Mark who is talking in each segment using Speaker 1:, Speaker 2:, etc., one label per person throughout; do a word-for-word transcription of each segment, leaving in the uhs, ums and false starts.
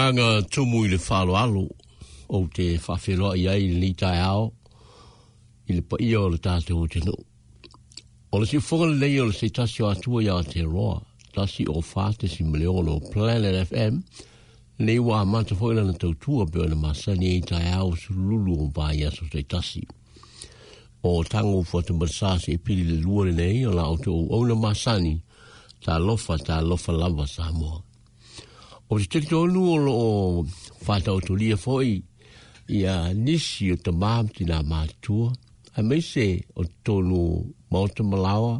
Speaker 1: Agaga tumu i le faaaloalo ou te faafeloai ai i lenei taeao i le paia o le tatou atunuu. O le siufoga lenei o le se tasi o Atua ia Aotearoa, tasi o fa tesima le ono Planet F M, lenei ua amata foi lana tautua pe ona masani ai taeao sululu o vaiaso taitasi. O tago fuatamalesa se i pili le lua lenei o la outou auauna masani, talofa talofa lava Samoa. O te talitonu o loo faataotolia foi ia nisi o tamā ma tinā matutua, aemaise o totonu maota malaoa,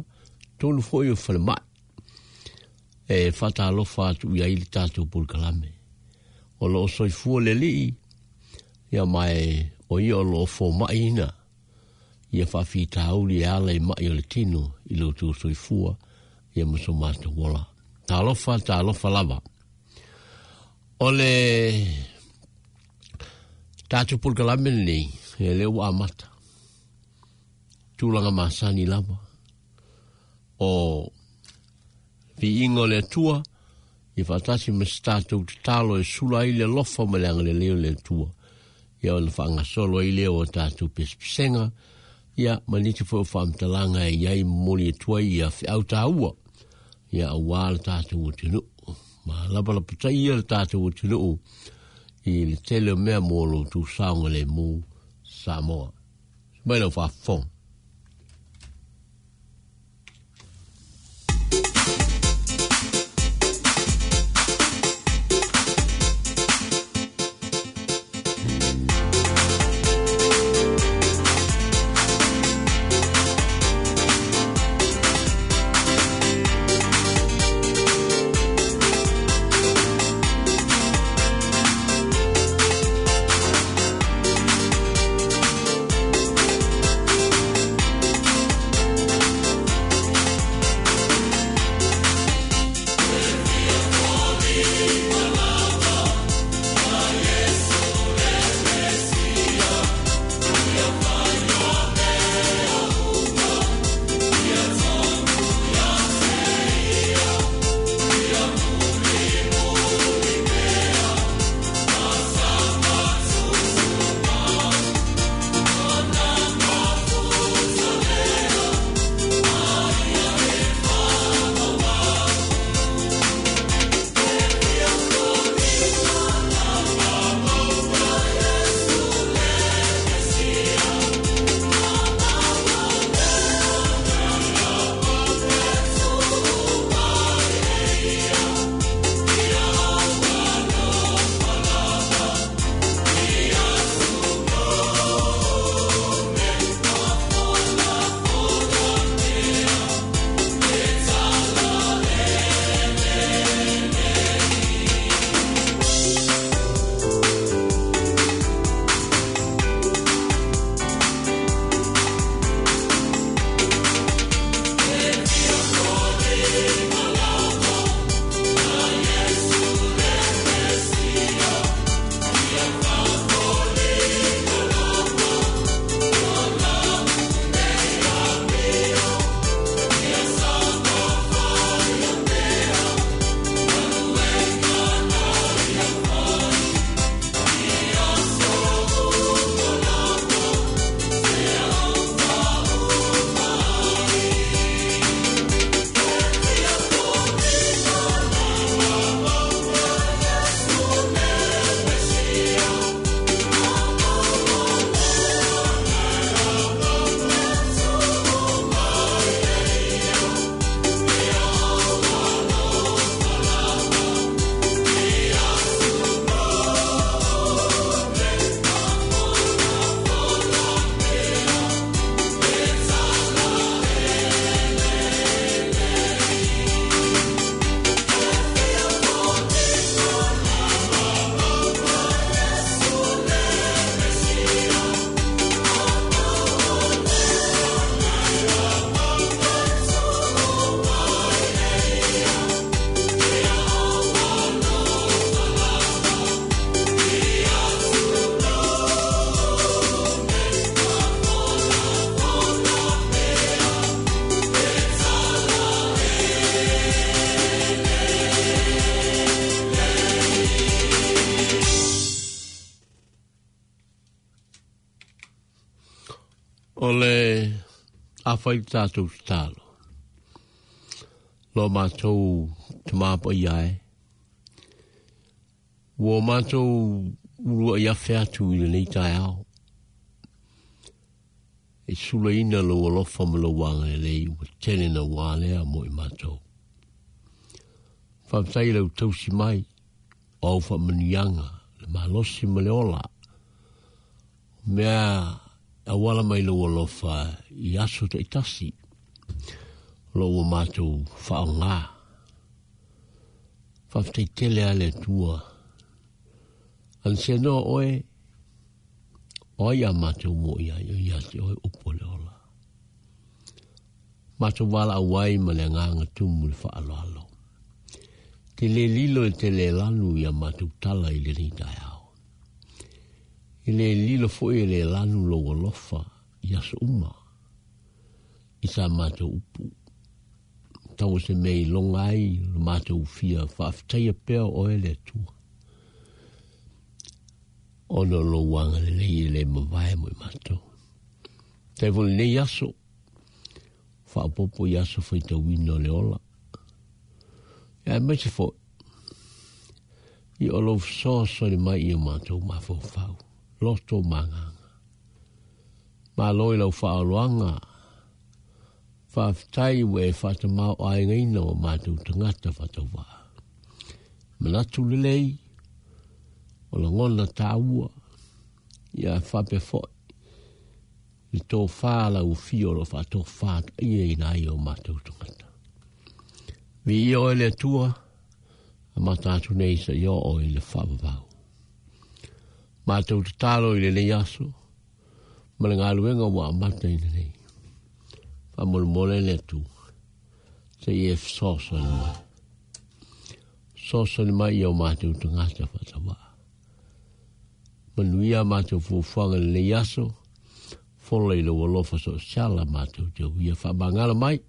Speaker 1: totonu foi o falemai, e faatalofa atu i ai le tatou polokalame. O loo soifua le alii, ia mae o ia o loo fomaiina, ia faafitauli e ala i mai o le tino i lo outou soifua, ia ma so matou ola. Talofa, talofa lava. O le tatou polokalame lenei, e lea ua amata. Tulaga masani lava. O viiga o le Atua, ia faatasi ma se tatou tatalo e sula ai le alofa ma le agalelei o le Atua. Ia ona faagasolo ai lea o tatou pesepesega, ia ma nisi foi o faamatalaga e i ai momoli atu ai ia feau taua, ia auā le tatou atunuu. Ma lapalapatai ia le tatou atunuu i le tele o mea mo lo outou saogalemu Samoa. Mai lau faafofoga.
Speaker 2: We'll be right back.
Speaker 1: O le afai tatou tatalo. Lo matou tamapai ai. Ua matou ulua i afe atu i lenei taeao. E sulaina lou alofa ma lou agalelei ua tele na ua alea mo i matou. Faafetai lau tausi mai o au faamanuiaga le malosi ma le ola. O mea auala mai lou alofa i aso taitasi o lo ua matou faaaoga. Faafetai tele a le Atua. Ana se noa oe, o ai a matou mo i ai o ia te oe upu o le ola. Matou valaau ai ma le agaga tumu le faaaloalo. Te le lilo e te le lanu ia matou tala i lenei taeao. E le lilo foi e le lanu lou alofa i aso uma i sa matou upu. Tau se mea i loga ai lo matou fia faafetaia pea o oe le Atua. Ona o lou agalelei e le mavae mo i matou. Tai foi lenei aso, faaopoopo i aso faitauina o le ola. Ia aemaise foi, i o lou fesoasoani mai i o matou mafaufau, loto ma agaga. Malo i lau faaaloaga, faafetai ua e faatamao-aigaina o matou tagata faatauvaa. Manatu lelei, o lagona tāua, ia faapea foi, le tofā lau afio o lo o faatofā ia ina ai o matou tagata. Viia oe le Atua, amata atu nei sa i oo i le faavavau. Matou tatalo i lenei aso, ma le galuega ua amata i lenei. Faamolemole le Atua, se i e fesoasoani mai. Fesoasoani mai i o matou tagata faatavaa. Manuia matou fuafuaga i lenei aso, fola i lou alofa soosiala matou te uia faamagalo mai,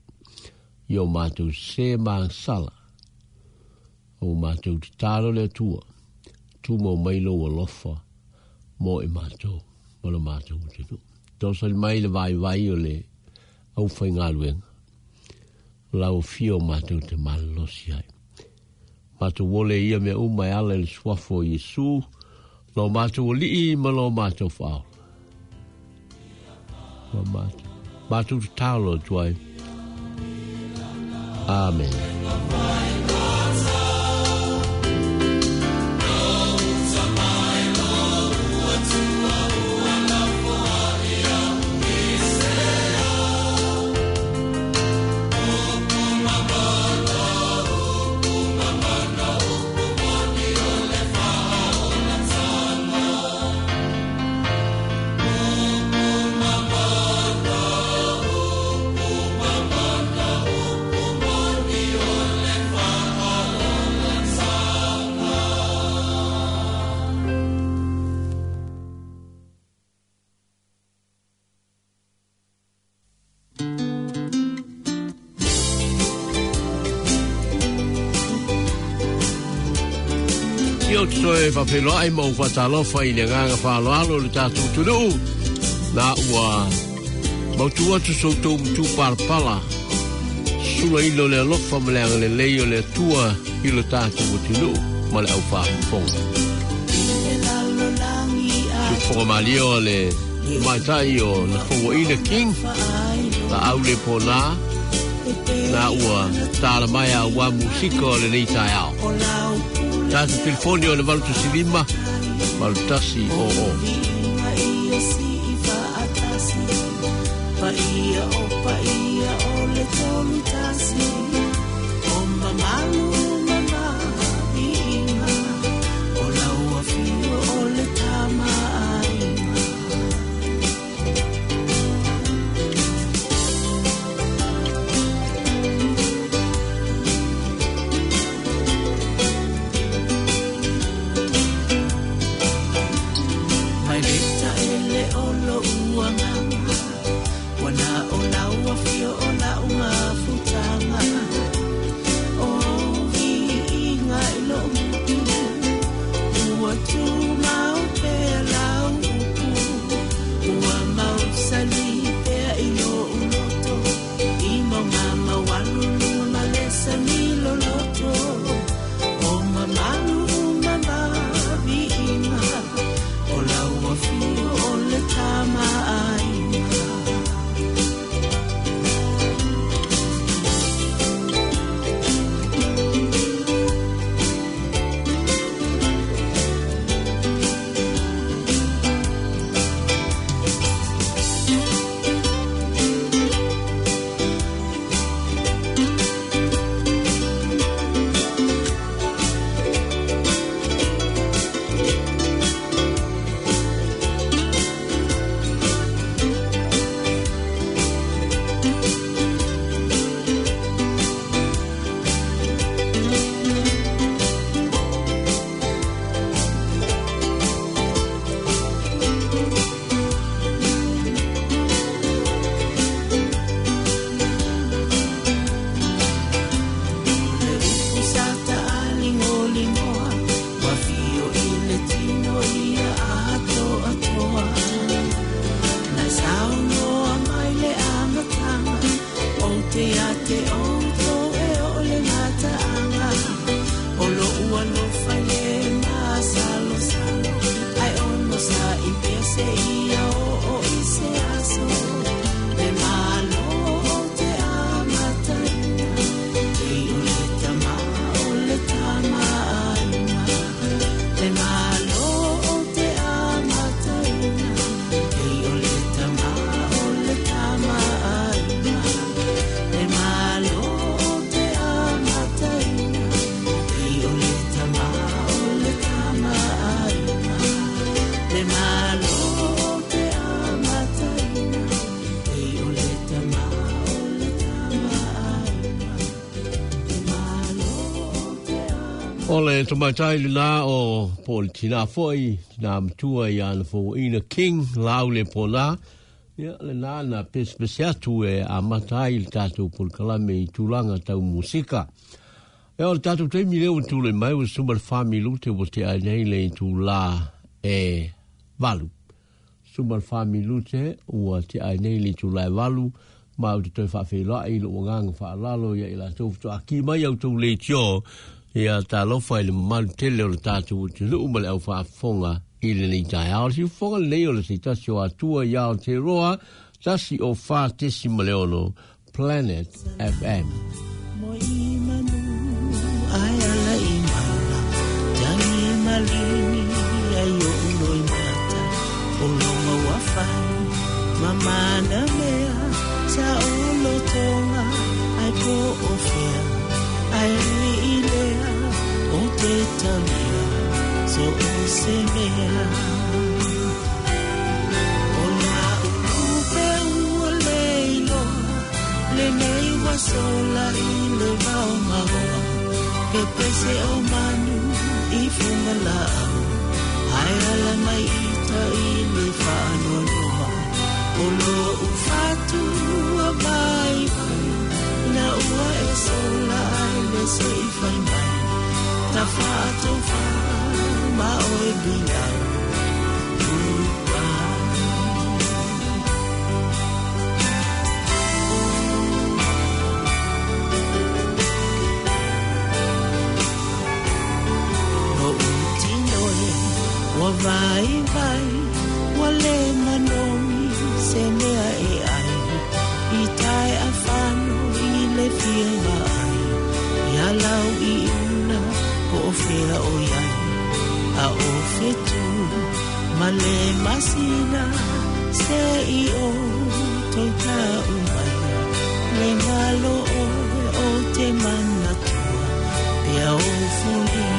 Speaker 1: i o matou se magasala. O matou tatalo le Atua, tumau mai lou alofa mo i matou, ma lo matou atunuu. Tosali mai le vaivai o le aufaigaluega, o lau afio o matou te malolosi ai. Matou ole ia mea uma e ala i le suafa o Iesu, lo matou alii ma lo matou faaola. Lo matou, matou tatalo atu ai. Amen. Ou te toe faafeiloai ma ou faatalofa i le agaga faaaloalo le tatou atunuu. Na ua mautu atu so outou matu palapala, sulaina o le alofa ma le agalelei o le Atua i lo tatou atunuu ma le aufaafofoga. Siufofoga malie o le maitai o le Fauaina King, la au le pona, na ua tala mai a ua musika o lenei taeao. Tatou telefoni o le valu tasi lima, valu tasi o o.
Speaker 2: Paia o paia o le tolu tasi, o mamalu mamaviiga, o lau afio o le tamaaiga. Mai le taele o lou agaga, wana o lau afio o lau mafutaga. O
Speaker 1: O le tamaitai lena o po o le tina foi, tina matua i ana fauaina King lau le pona. Ia lena na pesepese atu e amata ai le tatou polokalame i tulaga tau musika. E o le tatou taimi lea ua tulai mai ua suma le fa minute ua tea ai nei le itulā e valu. Suma le fa minute ua tea ai nei le itulā e valu ma ou te toe faafeiloai i lou agaga faaaloalo ia i latou faatoa mai au tou leitio ia talofa i le mamalu tele o le tatou atunuu ma le aufaafofoga i lenei taeao. O le siufofoga lenei o le se tasi o Atua ia Aotearoa, tasi o fa tesi ma le ono, Planet F M.
Speaker 2: Mo i manu ai ala i mala, tangi malini ai o uloi mata, o longa ua fai, mamana mea, sa o tonga, ai po o fea, ai ui i lea, o te talia, so o se mea. O la ulupe ua leiloa, le nei ua sola i le vao maoa, pepese o manu i funga laau, ai ala mai ita i le whaanoanoa, o lo ufatu a vai vai, na ua e sola ai le se i whai mai, ta whaatau wha ma oe bilau. Wa vai vai, wa le manomi, se mea e ai, i tae a whano i le fia ai, ia lau i una, po o fea o iai, a o whetu, ma le masina, se i o toi tau mai, le ngalo oe o te manatua, pea o fulina.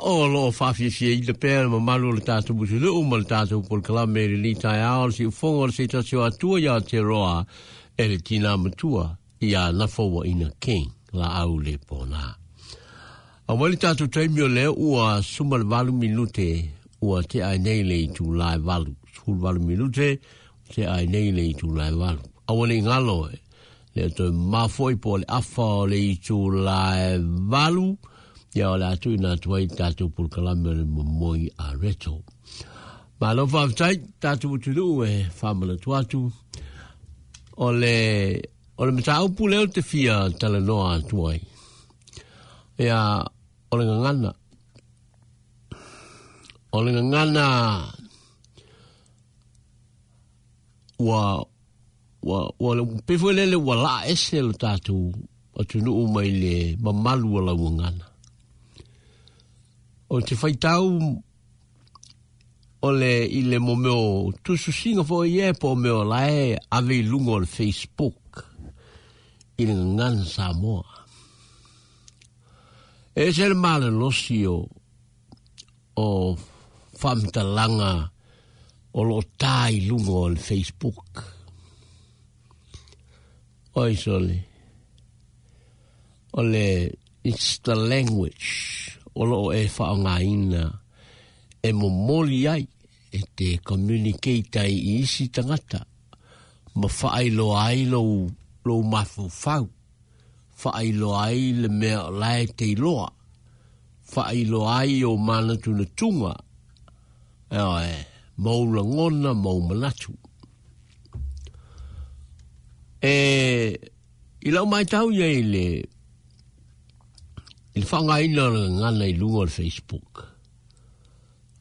Speaker 1: O lo whawhiwhia i le pēr ma malu le tātou mutunuu ma le tātou polokalame i lenei taeao le siufofoga o le se tasi o Atua i Aotearoa e le tina matua i a Nafauaina King la au le pona. A wali tātou taimi o leo ua suma le valu minute ua te ai nei le i tū lai valu. Sefulu valu minute te ai nei le i tū lai valu. Aua nei ngalo e. Le toe mafoi po le afa o le i tū lai valu. Ia o le atu ina atu ai tātou pulukalame o le momoi a reto. Malo whaaftai, tātou utunuu e whamanatu atu. O le, o le mataupu leo te fia talanoa atu ai. Ia, o le gagana. O le gagana ua, ua, ua le pefo lele ua laa ese lo tātou atunuu mai le mamalu o lau gagana. O te whaitau o le i le mo meo tususinga foi e po meo lae ave i lunga o le Facebook i le gagana Samoa. E se le malolosi o, o whamtalanga o lo tā i lunga o le Facebook. Oi sole, o le, it's the language o lo e whaongaina e momoli ai e te communicate ai i isi tangata ma whaailoa ai lou, lou mafaufau, whaailoa ai le mea o lae te iloa, whaailoa ai o manatu na tunga, e oe, mau langona, mau manatu. E, i lau mai tau ia i le, i le whangaina o le gagana i lunga o le Facebook.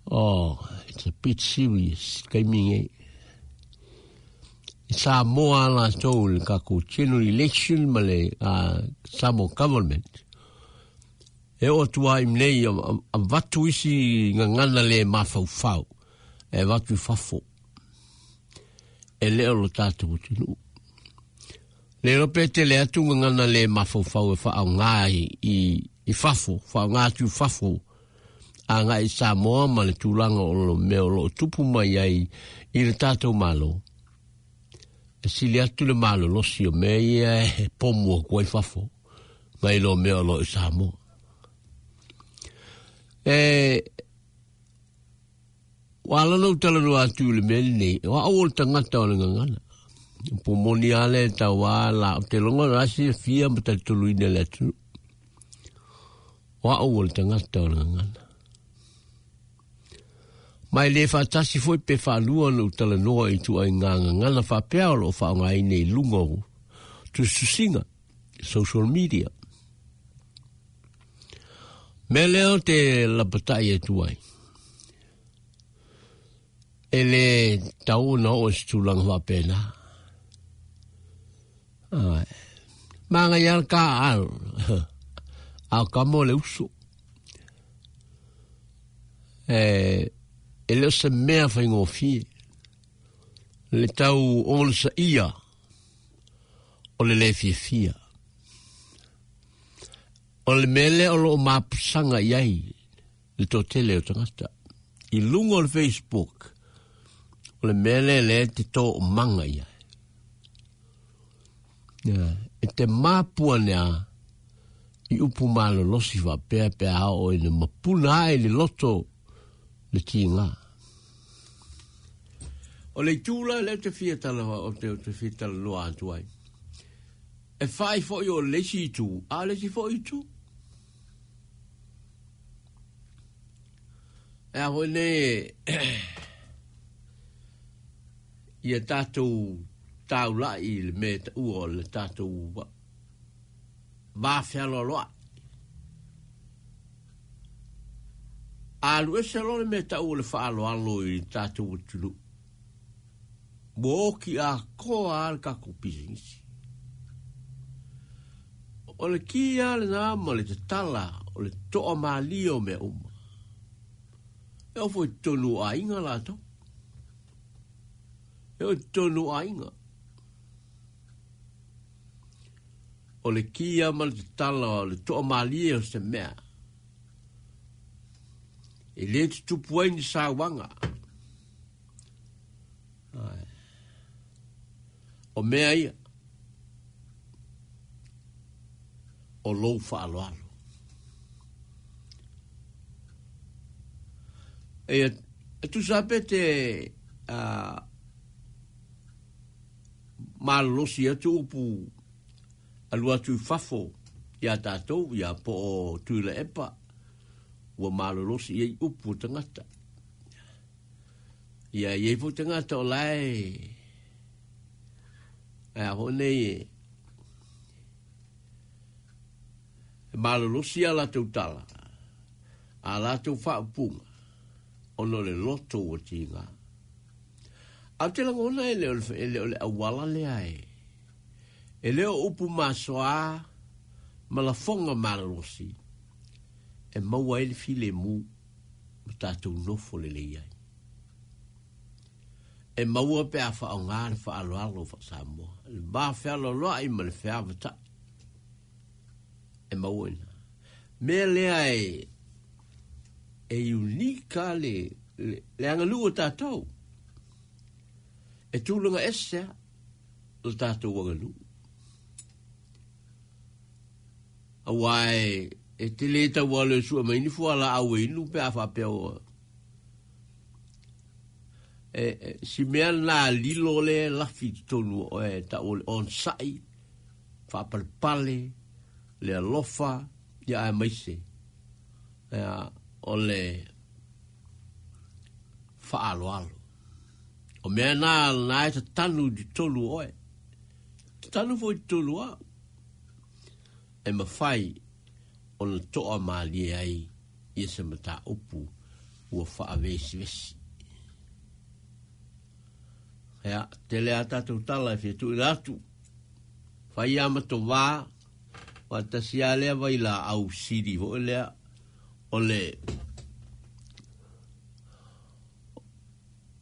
Speaker 1: Oh, it's a bit serious, kai minge. I Samoa la tau le kako general election ma le uh, Samoa government. E o tua im nei a, a, a vatu isi ngangana le mafaufau. E vatu i fafo. E leo lo tātou utunu. Le rope te le atu ngangana le mafaufau e whaonga i, i, i fafo, whaonga atu i fafo. A ngai i Samoa ma le tūlanga o lo mea o lo tupu mai ai i le tātou malo. E sili atu le malo losi o mea ia e pomu o kua i fafo. Ngai lo mea o lo i Samoa. E, wala no tala no atu le mea nei, wa au o le tangata o le ngangana. Po moni ale tau a la, te longa rasi fia ma talitoluina le atu. Wa au o le tangata o le ngangana. Mai le whaatasi foi pe whaalua no talanoa i tua i ngā ngangana whapea o lo whaongaine i lunga o tususinga, social media. Me leo te lapatai e tuai. E le tau na o se tūlanga whapena. Ai. Manga ial ka al. Au ka mo le uso. E, e leo se mea whaingofie. Le tau o sa ia o le le fiafia. O le mele o lo mapusanga iai le tō tele o tangata. I lunga o le Facebook, o le mele le te tō o manga iai. Yeah. E te mapua nea i upu malolosi whapea pea hao o i le mapuna ai le loto le tinga. O le tūla le te fia tala o te, te fia tala loa atu ai. E whai fo i o lesi i tū, a lesi fo i tū. E a hoi ne ia tātou taulai i le mea taua o le tātou vāwhealoaloa. A lu ese lo le mea taua le whaaloalo i tātou utunu. Mo oki a koa a le kako pisingisi. O le kia le nā ma le tatala o le toa malia o mea uma. E o foi tonu ainga lātou. E o tonu ainga. O le kia ma le tatala o le toa malia o se mea. E le tutupu ai ni sāwanga. Ai. O mea ia. O lou whaaloalo. E tusa pe te uh, malolosi atu upu alu atu i fafo ia tātou, ia po o Tuila Epa, ua malolosi i upu tangata. Ia iei fo tangata o lae, a ho nei e, malolosi a latou tala, a latou whaapunga, ono le loto o tinga. Au te langona e le o le awala lea e. E leo upu masoa, ma la fonga malolosi, e maua e le file mu, ma tātou nofo le lei ai. E maua pe a whaonga le whaaloalo wha Samoa. Le mā whealoloa i ma le wheavatai. E maua ina. Mea lea e, e unika le, le, le angalu o tātou. E tūlunga esea o tātou angalu. Aua e, e te le tau ale sua maini fua la au e inu pe a whapea o. E, e, si mea nā lilo le lafi tonu o e ta o le onsai, whaapalpale, le alofa, ia a maise. Ia, o le whaaloalo. O mea nā nā e tanu di tolu oe. Tanu fo i tolu au. E mawhai o na toa mālie ai ia se mata upu ua whaawesi vesi. Ia, te lea tātou tala e whitu i rātu. Whai ama tō wā, wā tasi a lea vai la au siri ho lea o le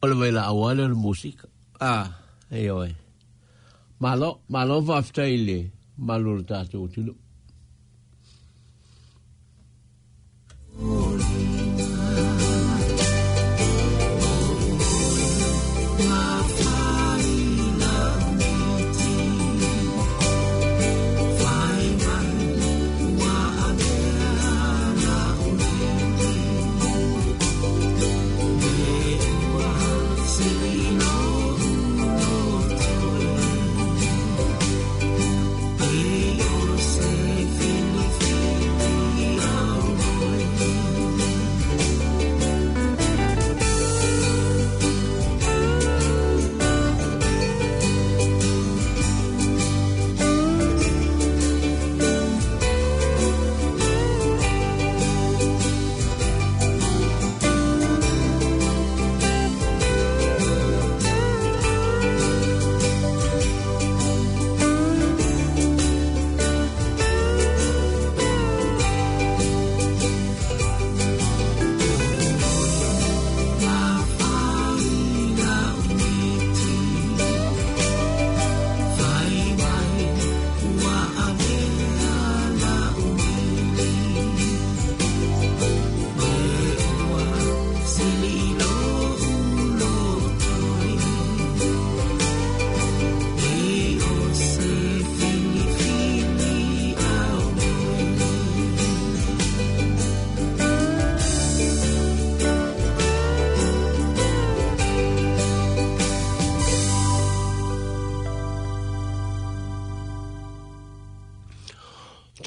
Speaker 1: o le vai la au ale o le musika. Ah, e oe. Malo, malo whaaftai le, malo le tātou tunu.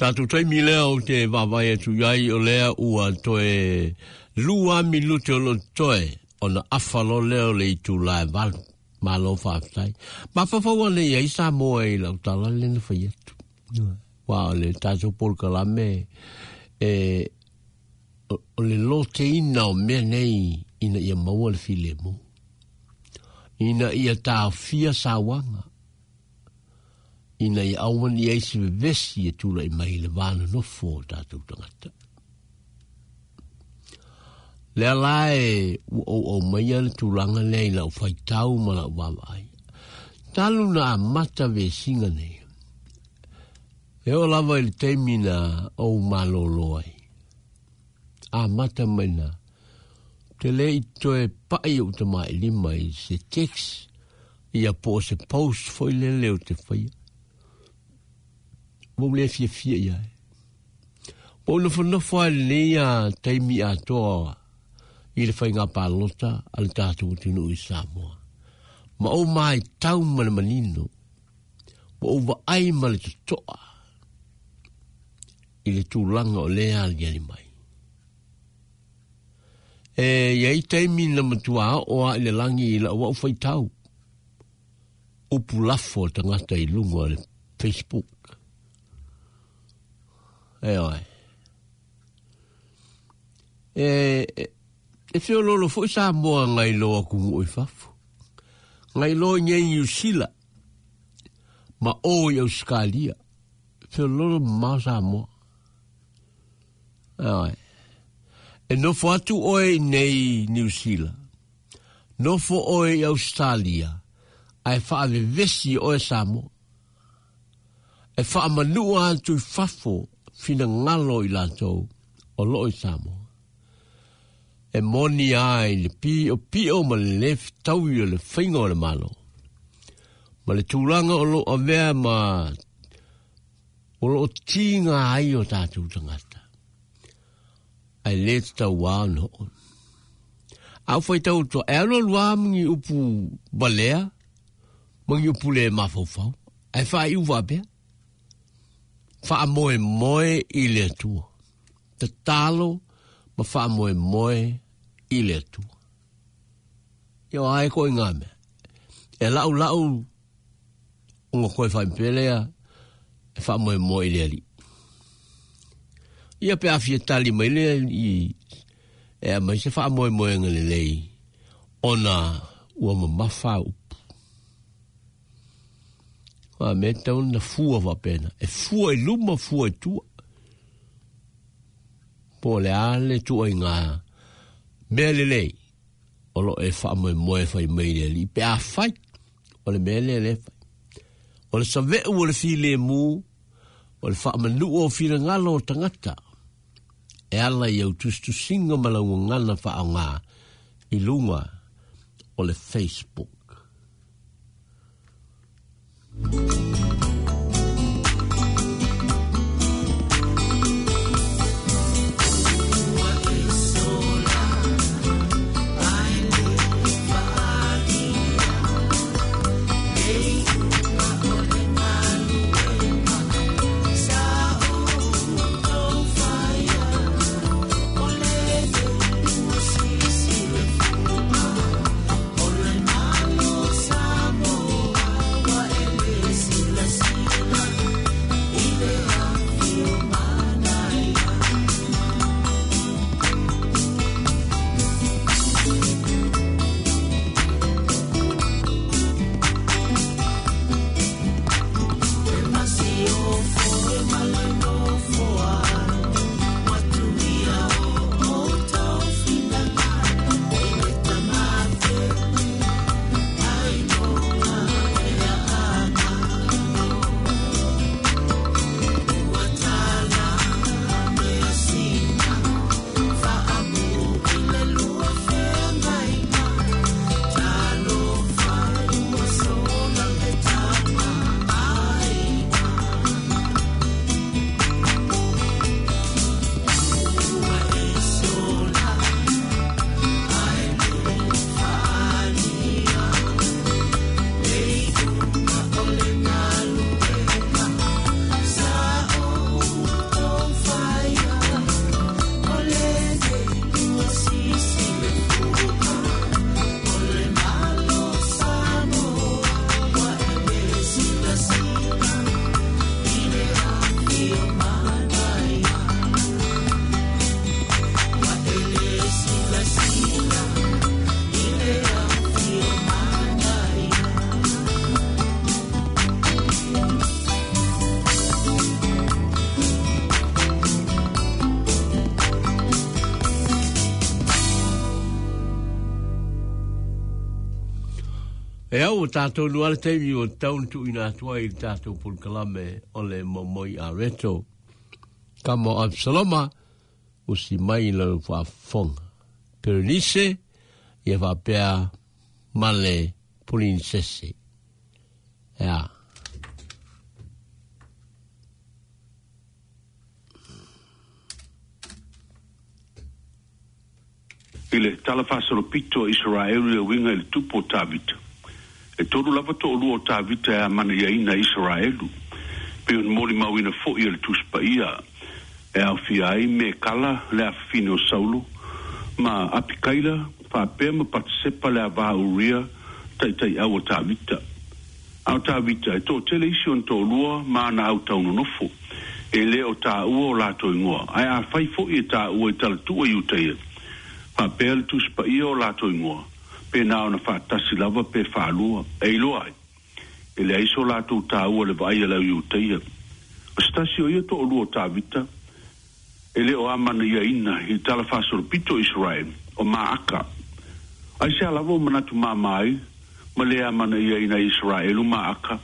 Speaker 1: Tātou taimi lea o te wawai atu iai o lea ua toe lua minute o lo toe o na awhalo leo le itu lae valu. Malo whaaftai. Mawhawhawa le iai Samoa i lau tala le na whai atu. Wā o le tātou polokalame e o le lote ina o mea nei ina ia maua le filemu. Ina ia tāwhia sawanga. Ina ia awan i eisi vevesi e tula i mai le vāna nofo o tātou tangata. Lea lae ua o o maia le tūlanga lea i lau whaitau ma lau wawai. Talu na amata vesinga nei. E o lava i le teimi na o malolo ai. Amata mai na. Te le i toe pai o te mai lima i se text ia po se post foi le leo te whaia. Mo le fia fia ia. Po no fo no fo le ia taimi atoa i I le whainga pālota a le tātou tunu i Samoa. Ma o mai tau ma le manino, ma o vaai ma le totoa i le tūlanga o lea ali ali mai. E iai taimi na matua o a i le langi i la wau whaitau. Upu lafo tangata i lunga le Facebook. E oe. E, e, e whiololo fo i Samoa ngai loa kungu i fafu. Ngai loa ngai New Zealand. Ma o i Australia. Whiololo ma Samoa. E oe. E nofo atu oe nei New Zealand. Nofo oe i Australia. Ae whaavevesi oe Samoa. E whaamanua atu i fafo whina ngalo i lātou o loo i Samoa. E moni ai le pio pio ma le lef taui o le whainga o le malo. Ma le tūlanga o loo avea ma o loo tinga ai o tātou tangata. Ai le tau wā no. Au whai tau toa e alo lua mangi upu balea, mangi upu le mawhauwhau. Ai whai uwa pea. Wha moe moe i le atua. Te talo ma wha moe moe i le atua. Ia ai koe ngā mea. E lau lau unga koe whaimpelea e wha moe moe i le ali. Ia pe awhia tali mai lea i e a mai se wha moe moe ngale lei ona ua mamafa upu. A me tau na fua wapena. E fua i luma, fua i tua. Po le ale tua i ngā mea lelei. O lo e wha moe moe whai mei le li. Pe a whai. O le mea le le whai. O le saweu o le file mū. O le wha manu o whira ngalo o tangata. E ala i au tustusinga malaunga ngana wha o ngā i lunga o le Facebook. E au o tātou nuala teimi o taun tu ina atua i tātou pulkalame o le momoi a reto. Ka mo Absaloma o si mai lau whaafonga. Perenice ia whapea male pulinsese. Ea.
Speaker 3: I le tala faasolopito o Isaraelu e uiga i le tupu o Tavita. E tolu lava to'alua o Tavita e amanaiaina e Isaraelu. Pei ona molimauina fo'i e le Tusi Paia e aofia ai Mekala le afafine o Saulo ma Apikaila faapea ma Patisepa le avā Uria taitai'au o Tavita. A o Tavita e to'atele isi ona to'alua ma ana autaunonofo e lē o tāua o latou igoa ae afai fo'i e tāua i talatu'u e Iutaia faapea le Tusi Paia o latou igoa pe na ona faatasi lava pe faalua e iloa ai e leai so latou tāua le vaai a le au Iutaia. O se tasi o ia to'alua o Tavita e lē o amanaiaina i le tala faasolopito o Israel o Maaka. Aisea lava o manatu māmā ai ma lē amanaiaina e Isaraelu Maaka?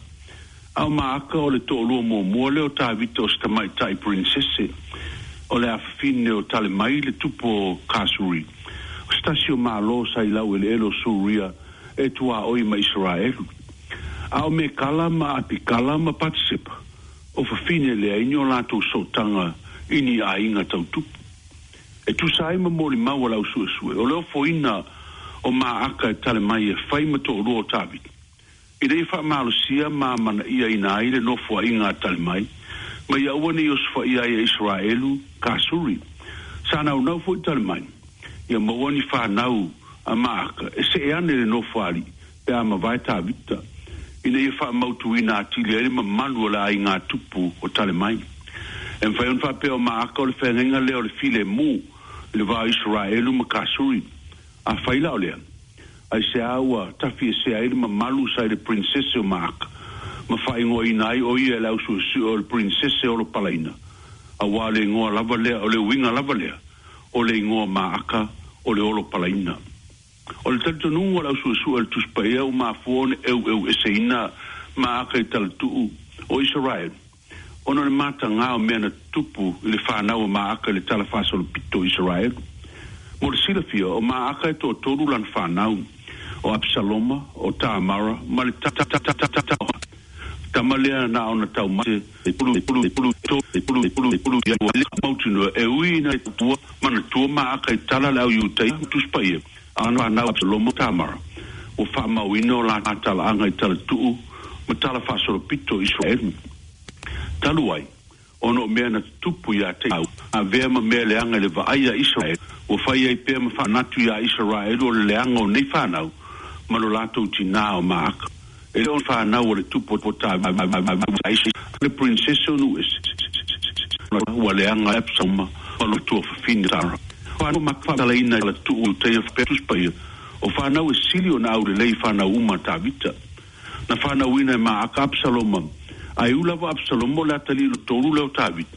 Speaker 3: A o Maaka o le to'alua muamua lea o Tavita o se tamaita'i prinsese o le afafine o Talemai le tupu o Kasuri o se tasi o mālō sa i laueleele o Suria e tuaʻoi ma Isaraelu. A o Mekala ma Apikala ma Patisepa o fafine leai ni o latou sootaga i ni aiga tautupu. E tusa ai ma molimau a le ausuesue o le ofoina o Maaka e Talemai e fai ma to'alua o Tavita ina ia faamalosia ma amanaiaina ai le nofoaʻiga a Talemai ma ia aua nei osofai'a ai e Isaraelu Kasuri. Sa naunau fo'i Talemai ia maua ni fanau a Maaka e se'e ane le nofoalii pe a mavae Tavita ina ia faamautuina atili ai le mamalu o le aigā tupu o Talemai. E mafai ona faapea o Maaka o le feagaiga lea o le filemu i le va o Isaraelu ma Kasuri. Afai la o lea, aiseā ua tafiesea ai le mamalu sa i le prinsese o Maaka ma faaigoaina ai o ia e le ausuesue o le prinsese olopalaina, auā o le igoa lava lea o le uiga lava lea o le igoa Maaka o le olopalaina. O le talitonuga o le ausuesue a le Tusi Paia ua mafua ona eueueseina Maaka i talatuu o Isaraelu ona o le matagā o mea na tutupu i le fanau a Maaka i le tala faasolopito o Isaraelu. Mo le silafia o Maaka e toatolu lana fanau o Apisaloma o Tamara ma le tama lea na ona taumate e pulu pulu pulu to e pulu pulu pulu ia mautinoa e ui ina tua manatua Maaka i tala le au Iutaia Tusi Paia ana fanau Apisaloma Tamara ua faamauina o latou talaaga i talatuu ma tala faasolopito o Isaraelu. Talu ai ona o mea na tutupu iā te au avea ma mea leaga i le vaai a Isaraelu ua fai ai pea ma faamanatu iā Isaraelu o le leaga o nei fanau ma lo latou tinā o Maaka. E le o fanau o le tupu o Tavita le prinsese o Nu'uese ua leaga Apisaloma ma lo tuafafine Tara. Fanau mafatalaina la tuu Iutaia Tusi Paia o fanau e sili ona aulelei fanau uma a Tavita. Na fanauina e Maaka Apisaloma ae u lava Apisaloma o le atalii o tolu lea o Tavita.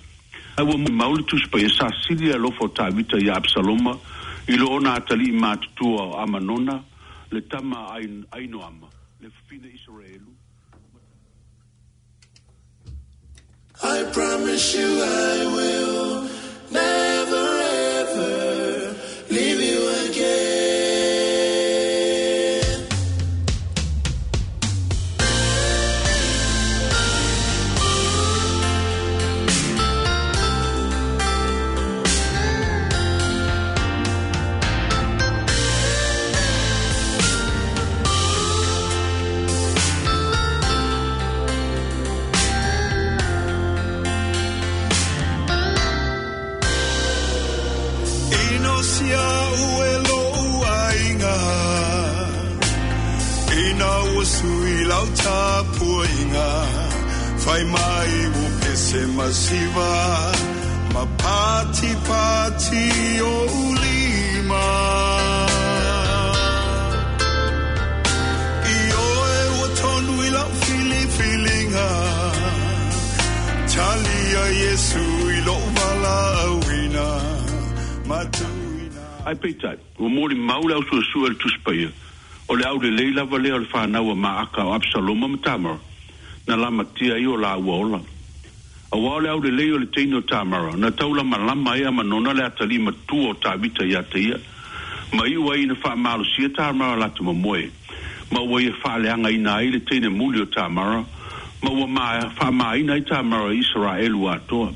Speaker 3: Ae ua molimau le Tusi Paia sa sili le alofa o Tavita iā Apisaloma i lo ona atalii matutua o Amanona le tama a Ainoama le fafine Isaraelu.
Speaker 2: I promise you I will never ever leave you again. Ino sia ue lo uainga Ina ua sui lau tapuainga Fai mai u pese masiva Ma pati pati o ulima I oe ua tonu i lau filifilinga Talia Yesu i lou valaauina Matuina
Speaker 3: Ae peitai, ua molimau le ausuesue a le Tusi Paia, o le aulelei lava lea o le fanau a Maaka o Apisaloma ma Tamara, na lamatia ai o laua ola. Auā o le aulelei o le teine o Tamara, na taulamalama ai Amanona le atalii matua o Tavita iā te ia, ma iu ai ina faamalosia Tamara lata mamoe, ma ua ia faaleagaina ai le teine muli o Tamara, ma ua faamāina ai Tamara i Isaraelu atoa.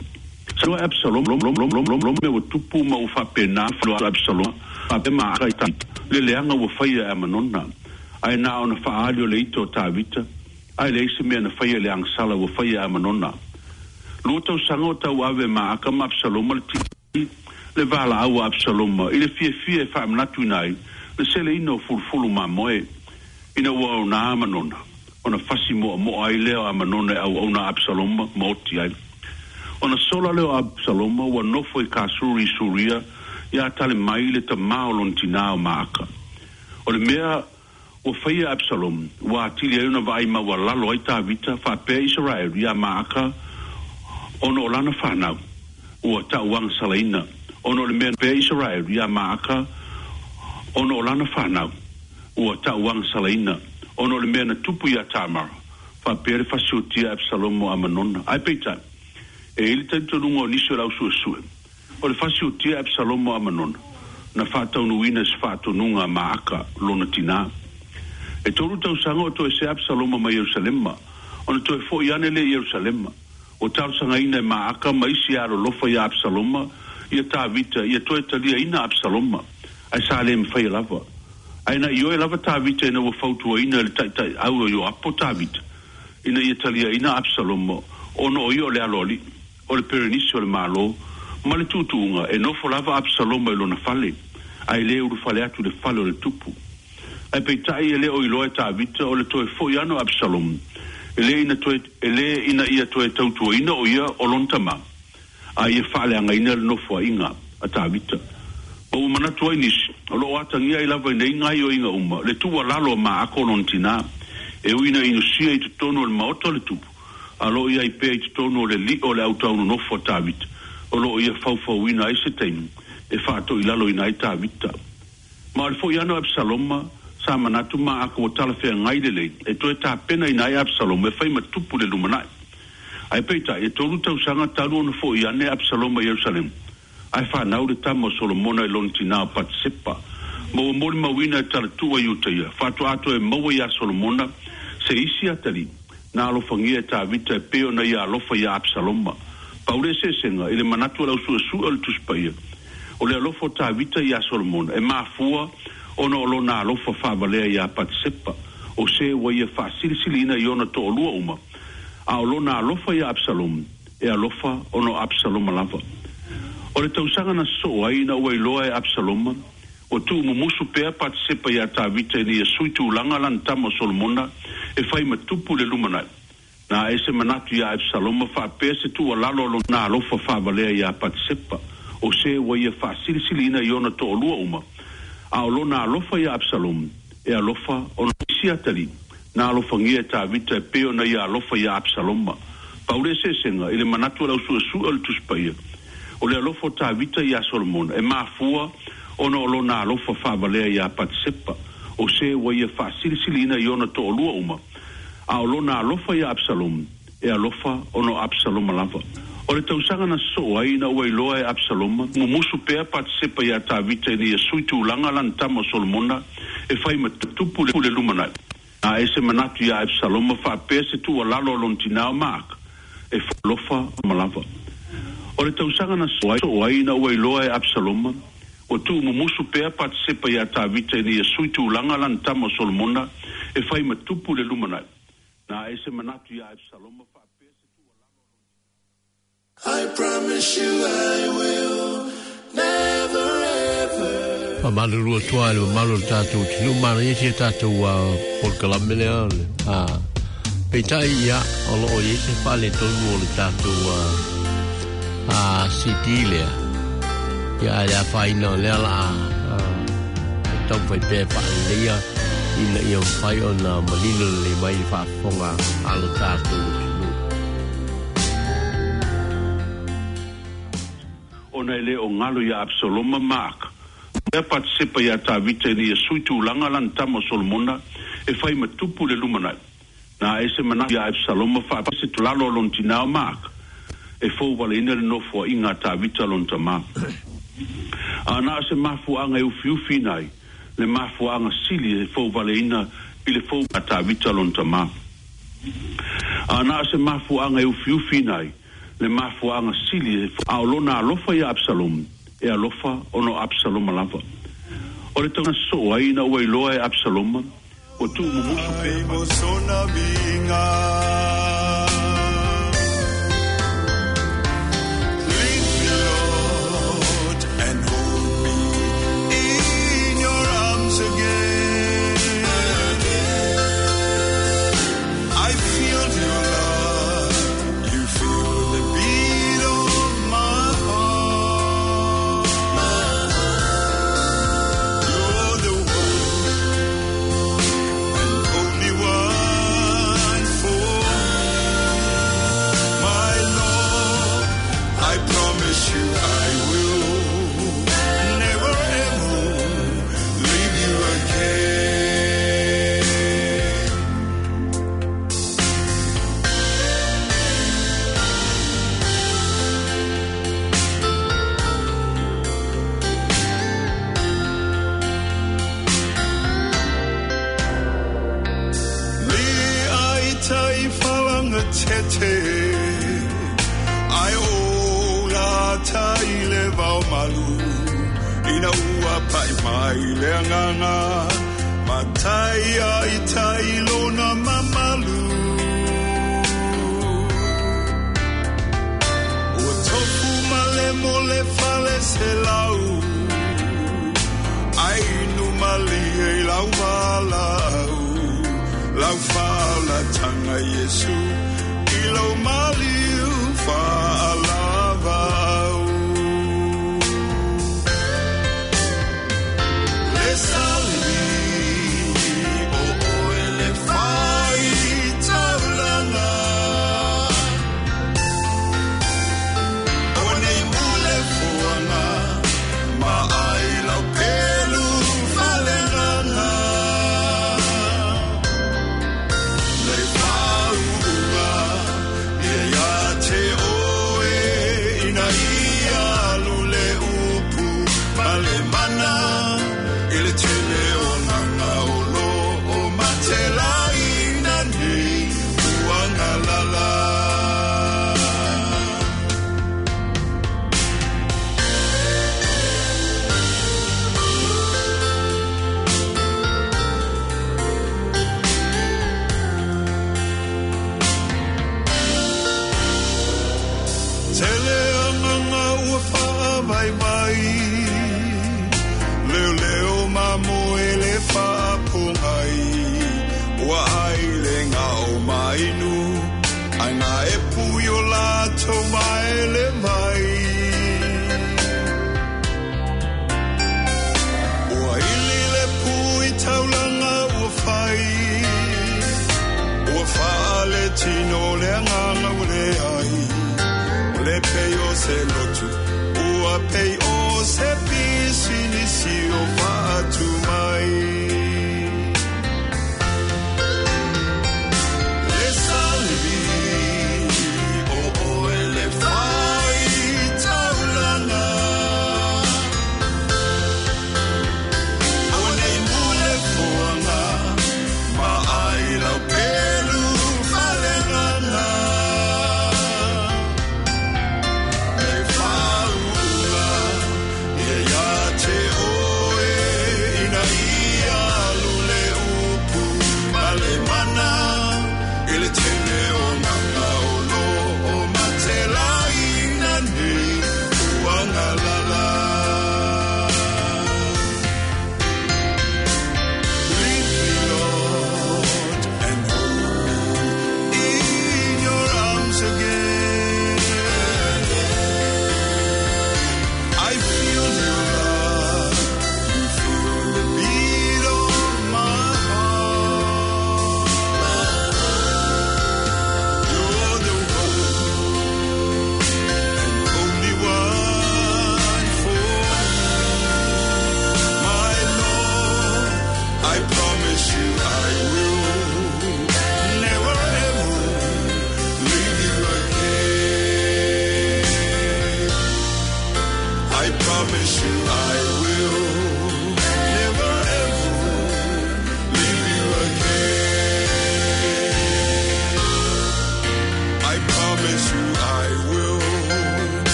Speaker 3: Sa Apisaloma ua tupu ma ua faapena Apisaloma Faapea Maaka i Tavita le leaga ua faia e Amanona, ae na ona faaali o le ita o Tavita, ae leai se mea na faia i le agasala ua faia e Amanona. Lua tausaga o tauave e Maaka ma Apisaloma le tili le valaau a Apisaloma i le fiafia e faamanatuina ai le seleina o fulufulu mamoe ina ua aoga Amanona, ona fasi moamoa ai lea o Amanona e auauna a Apisaloma ma oti ai. Ona sola lea o Apisaloma ua nofo i Kasuri i Suria ia Talemai le tamā o lona tinā o Maaka. O le mea ua faia e Apisaloma ua atili ai ona vaai maualalo ai Tavita faapea Isaraelu iā Maaka ona o lana fanau ua tauagasalaina ona o le mea pea Isaraelu iā Maaka ona o lana fanau ua tauagasalaina ona o le mea na tupu iā Tamara faapea le fasiotia a Apisaloma o Amanona. Ae peitai, e i ai le talitonuga o nisi o le ausuesue, o le fasiotia a Apisaloma o Amanona na faataunuuina i se faatonuga a Maaka lona tinā. E tolu tausaga o toesea Apisaloma mai Ierusalema, ona toe fo'i ane lea i Ierusalema. Ua talosagaina e Maaka ma isi e alolofa iā Apisaloma ia Tavita ia toe taliaina Apisaloma, ae sa le mafaia lava. Ae na ioe lava Tavita ina ua fautuaina e le taitaiau o Ioapo Tavita ina ia taliaina Apisaloma ona o ia o le aloalii, o le perenisi o le Malo, ma le tuutuuga e nofo lava Apisaloma i lona fale, ae le ulufale atu i le fale o le tupu. Ae peitai e le o iloa e Tavita o le toe fo'i ane o Apisaloma, e le ina toe, e le ina ia toe tautuaina o ia o lona tama, a ia faaleagaina le nofoaiga a Tavita. Ma ua manatu ai nisi, o lo o atagia ai lava i nei gaoioiga uma le tuualalo a Maaka o lona tinā, e ui ina inusia i totonu o le maota o le tupu, a o lo o i ai pea i totonu o le lio o le autaunonofo a Tavita, o lo o ia faufauina ai se taimi e faatoilaloina ai Tavita. Ma o le fo'i ane o Apisaloma, sa manatu Maaka ua talafeagai lelei e toe tapenaina ai Apisaloma e fai ma tupu i le lumanai. Ae peitai, e tolu tausaga talu ona fo'i ane Apisaloma i Ierusalema, ae fanau le tama o Solomona i lona tinā o Patisepa, ma ua molimauina e talatuu a Iutaia, faatoa toe maua iā Solomona se isi atalii na alofagia e Tavita e pei ona ia alofa iā Apisaloma. Pau le eseesega i le manatu o le ausuesue o le Tusi Paia, o le alofa o Tavita iā Solomona e mafua ona o lona alofa faavalea iā Patisepa, o se ua ia faasilisiliina i ona toalua uma, a o lona alofa iā Apisaloma e alofa ona o Apisaloma lava. O le tausaga na sosoo ai ina ua iloa e Apisaloma ua tuumumusu pea Patisepa iā Tavita ina ia sui tulaga lana tama o Solomona e fai ma tupu i le lumanai, na ae se manatu iā Apisaloma faapea se tuualalo a lona alofa faavalea iā Patisepa, o se ua ia faasilisiliina i ona toalua uma, a o lona alofa iā Apisaloma e alofa ona o isi atalii na alofagia e Tavita e pei ona ia alofa iā Apisaloma. Pau le eseesega i le manatu o le ausuesue o le Tusi Paia, o le alofa o Tavita iā Solomona e mafua ona o lona alofa faavalea iā Patisepa, o se ua ia faasilisiliina i ona toalua uma, a o lona alofa iā Apisaloma e alofa ona o Apisaloma lava. O le tausaga na sosoo ai ina ua iloa e Apisaloma, mumusu pea Patisepa iā Tavita ina ia sui tulaga lana tama o Solomona e fai ma tupu i le lumanai, na ae se manatu iā Apisaloma faapea se tuualalo a lona tinā o Maaka e alofa ma lava. O le tausaga na sosoo ai ina ua iloa e Apisaloma, ua tuumumusu pea Patisepa iā Tavita ina ia sui tulaga lana tama o Solomona e fai ma tupu i le lumanai, na ae se manatu iā Apisaloma faapea se tuualalo a lona
Speaker 2: I promise you I will never ever.
Speaker 1: Faamalulu atu lava i le mamalu o le tatou atunuu, manaia si a tatou polokalame lea. Peitai ia, o lo o i ai se faaletonu o le tatou C D lea. Ia, ae le afaina o lea la a taumafai pea e faaleleia ina ia mafai ona manino lelei mai le faafofoga a lo tatou atunuu.
Speaker 3: Ona e le o galo iā Apisaloma ma Maaka, mea Patisepa iā Tavita ina ia sui tulaga lana tama o Solomona e fai ma tupu i le lumanai. Na ae se manatu iā Apisaloma faapea se tuualalo a lona tinā o Maaka e fouvaleina le nofoaiga a Tavita lona tamā. A na o se mafuaaga e ufiufiina ai le mafuaaga sili e fouvaleina i le fou a Tavita lona tamā. A na o se mafuaaga e ufiufiina ai le mafuaaga sili e a o lona alofa iā Apisaloma e alofa ona o Apisaloma lava. O le tauna soo ai ina ua iloa e Absaloma, ua tuumumusu pea.
Speaker 4: Ai o la tai le vau malu ina ua pai mai le anganga matai ai tai lona mamalu o tofu male mole fale se lau ai nu mali e lau valau lau fala tanga Yesu ilo maliu fa'alavau le sali o oe le fai taulanga o nei mule fuanga ma ai lau pelu faleganga le fauga ia te oe ina ia lule upu ma le mana i le tele o nganga o lo o matelaina nei uagalala. Tele anganga ua whaavai vai Leo leo mamo e le whaapongai Ua ai le ngao mainu Ai ngā e puyo lātou mai le mai Ua ili le pui taulanga ua whai Ua whaale tino le anganga ua le ai Le pei o se lotu, ua pei o se pisi nisi o whaatu mai. Le salvi, o oe le whai taulanga. O nei mule fuanga, ma ai lau pelu faleganga. Le fauga, ia ia te oe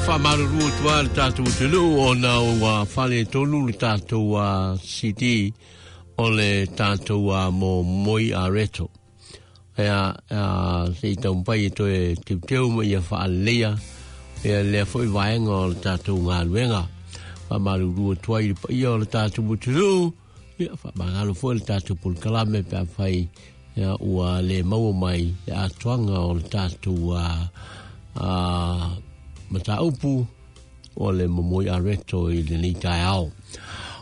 Speaker 1: Whamaruru tua le tātou te luu o nā ua whale tonu le tātou a C D o le tātou a mō moi a reto. Ea, ea, se i taumpai e toe teuteu ma ia whaalea, ea lea foi vaenga o le tātou ngā luenga. Whamaruru tua i le paia o le tātou te luu, ia whamangalo foi le tātou pulkalame pe a whai, ia ua le maua mai le atuanga o le tātou a, a mataupu o le momoi a reto i le nei taeao.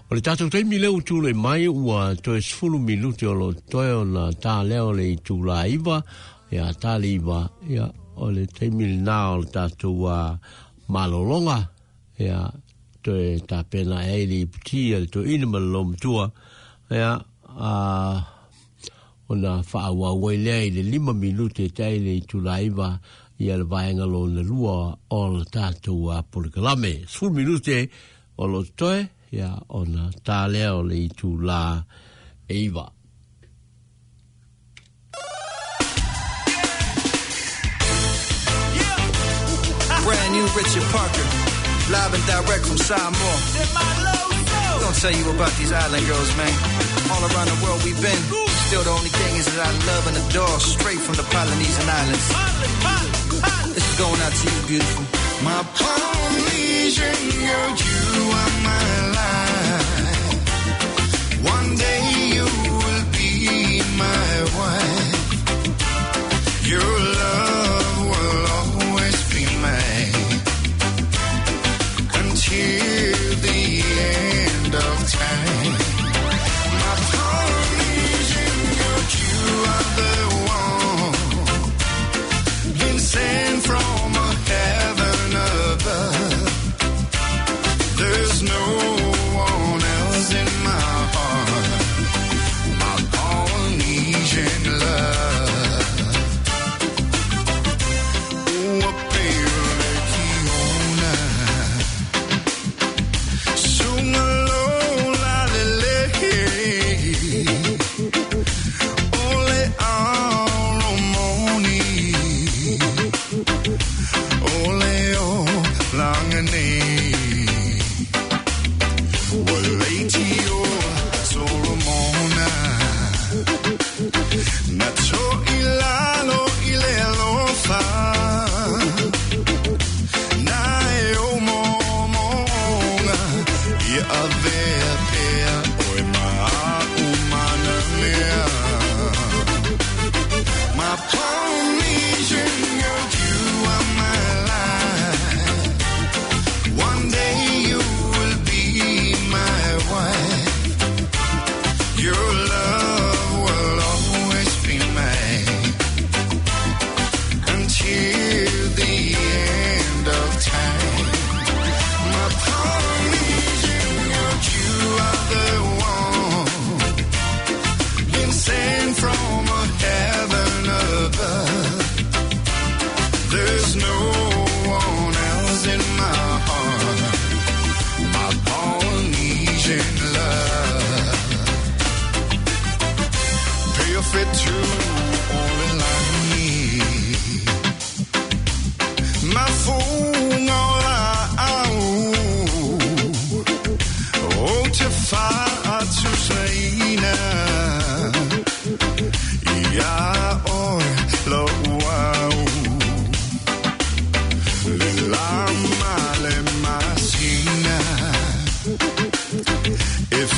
Speaker 1: O le tātou taimi leo tūle mai ua toe sefulu minute o lo toe o na tā leo le i tūla iwa, ia tā le iwa, ia o le taimi le nā o le tātou a malolonga, ia toe tā pena e le iputi a le toe ina ma le lomatua, ia a o na whaawawai lea i le lima minute tai le i tūla iwa, ia le vaenga lo na lua o le tātou a polokalame. Sefulu minute o lo toe, ia ona tā lea o le itu la eiva.
Speaker 5: Brand new Richard Parker, live and direct from Samoa. Don't tell you about these island girls, man. All around the world we've been. Still the only thing is that I love and adore, straight from the Polynesian Islands. This is going out to you, beautiful.
Speaker 4: My Polynesian girl, you are my life. One day you will be my wife. Your love will always be mine until the end of time. My Polynesian girl, you are the one been sent from a heaven above. There's no one else in my heart, my Polynesian love. Ua pele kiona, sunga lola lele, ole aromoni, ole o langane.
Speaker 6: If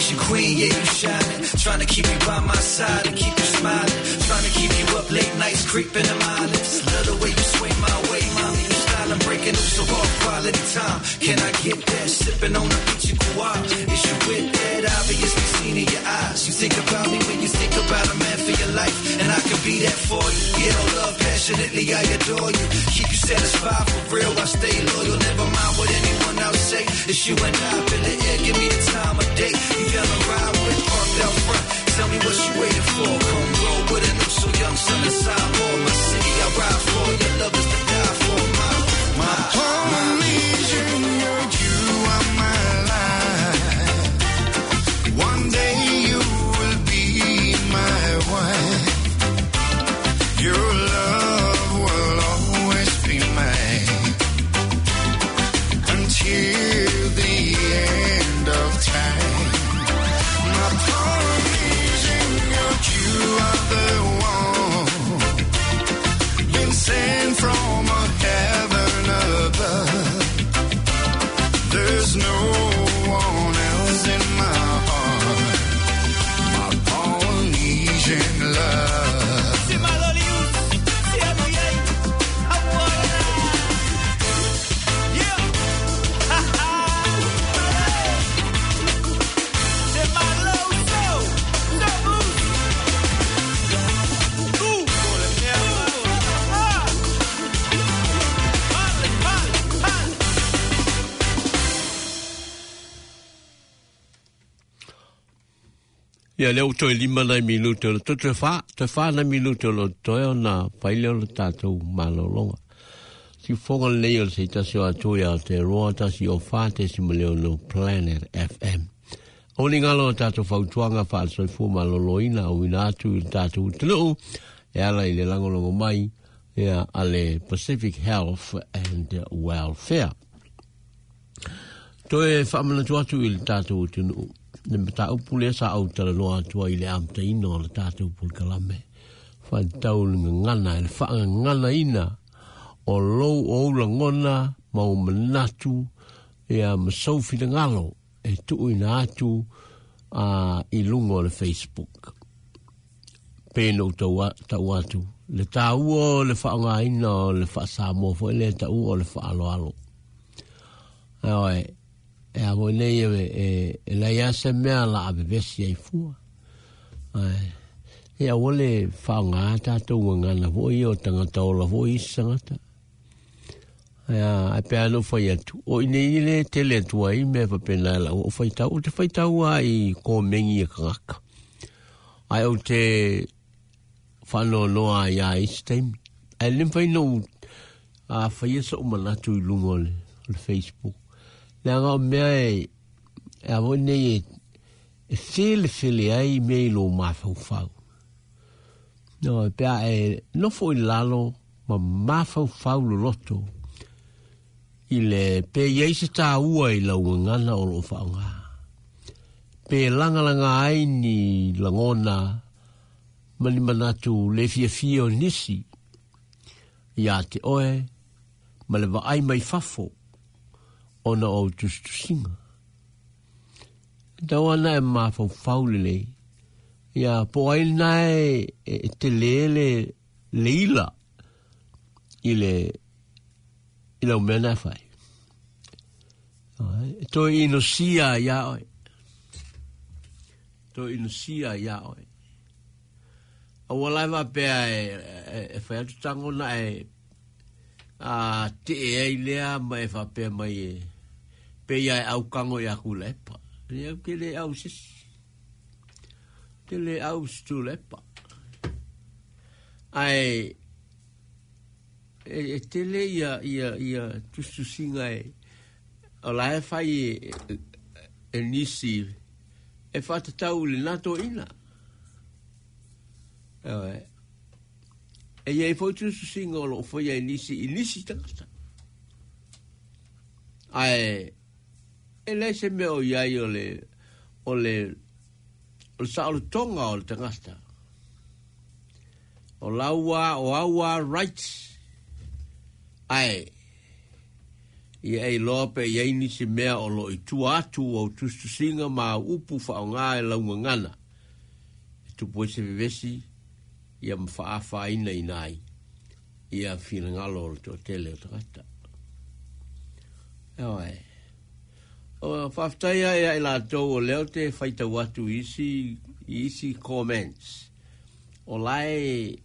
Speaker 5: Polynesian queen, yeah, you shining. Trying to keep you by my side and keep you smiling. Trying to keep you up late nights, creeping in my lips. Love the way you sway my way, mommy, you styling, breaking loose of all quality time. Can I get that? Sipping on the beach in Kauai. Is you with that? Obviously seen in your eyes. You think about me when you think about a man for your life, and I can be that for you. Yeah, oh, love passionately, I adore you. Keep you satisfied for real, I stay loyal. Never mind what anyone else say. It's you and I, feel the air, give me the time of day. You down the ride with parked out front. Tell me what you waiting for. Come roll with an so young son of Samoa. My city, I ride for. Your love is to die for. My, my,
Speaker 4: Polynesian, you are my life. One day you will be my wife. Your love will always be mine until the end of time. My Polynesian, you are the one been sent from a heaven above. There's no one else in my heart. My Polynesian love.
Speaker 1: Ia leo toi lima nai minuto le toe wha, toe wha nai minuto le toe o nā paile o le tātou malolonga. Si whonga lei o le seitasi o atu ia te roa tasi o wha te si maleo no Planet F M. O ni ngalo o tātou whautuanga wha maloloina o ina atu i tātou tunu e ala i le langolongo mai ia ale Pacific Health and Welfare. Toe whaamanatu atu i le tātou tunu. Le mata upu le sa au tala noa atua i le amtaina o le tātou pulkalame. Whaitau le ngana, le whaangana ina o lou o ula ngona mau manatu ia masau finagalo e tuu ina atu a, i lunga o le Facebook. Pēna u tau, tau atu. Le tāua o le whaangaina o le whaasamoa fo le tāua o le whaaloalo. Ae, e a mo nei e e e lai a se mea la a bebesi ai fua. Ai, e a wole whaanga tātou ngana fo i o tangata o la fo i sangata. Ai a, ai pe anu whai atu. O ine i le tele atua i mea whapena la o whaitau. O te whaitau a i kō mengi e kangaka. Ai o te whano noa i a isi taimi. Ai lim whai no a whai esa o manatu i lunga o le, o le Facebook. Le anga o mea e, e a mo nei e, e fele fele ai mea i lo mawhauwhau. No, e pea e nofo i lalo ma mawhauwhau loloto i le pe iei se tā ua i lau ngana o lo whaonga. Pe langalanga ai ni langona mani manatu le fia fia o nisi ia te oe ma le vaai mai fafo ona o tustusinga. Tau ana e mawhauwhau lelei. Ia po ai nae e te lele leila i le i lau mea nā whai. Toi inosia ia oe. Toi inosia ia oe. Aua lai pea e, e, e whai atu tangona e a te e ei lea ma e whapea mai e pe ia e au kango i aku lepa. Ia au ke le au sisi. Te le au stu lepa. Ai e, e te le ia, ia, ia tustusinga e o la e whai e, e, e nisi e whatatau le nato ina. E, e ia e fai tustusinga o lo whai e nisi i nisi tangata. Ai e le se mea o iai o le o le o le sa o le tonga o le tangata. O laua o aua rights. Ai Ia e iloa pe i ai nisi mea o loo i tua atu o au tusitusiga ma au upu faaaogā e laugagana e tupu ai se vevesi ia ma faaafainaina ai ia finagalo o le toatele o tagata. Ioe. O faafetai ai ia i latou o lea ou te faitau atu i isi, i isi comments o la e,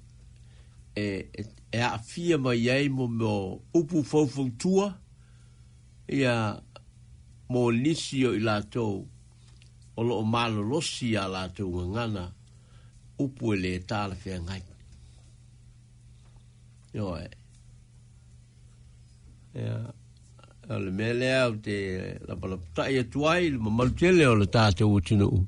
Speaker 1: e, e, e aafia mai ai mo mea o upu faufautua ia mo nisi o i latou o loo malolosi a latou gagana upu e le talafeagai. Ioe. Ia, o le mea lea ou te lapalapatai atu ai i le mamalu tele o le tatou atunuu.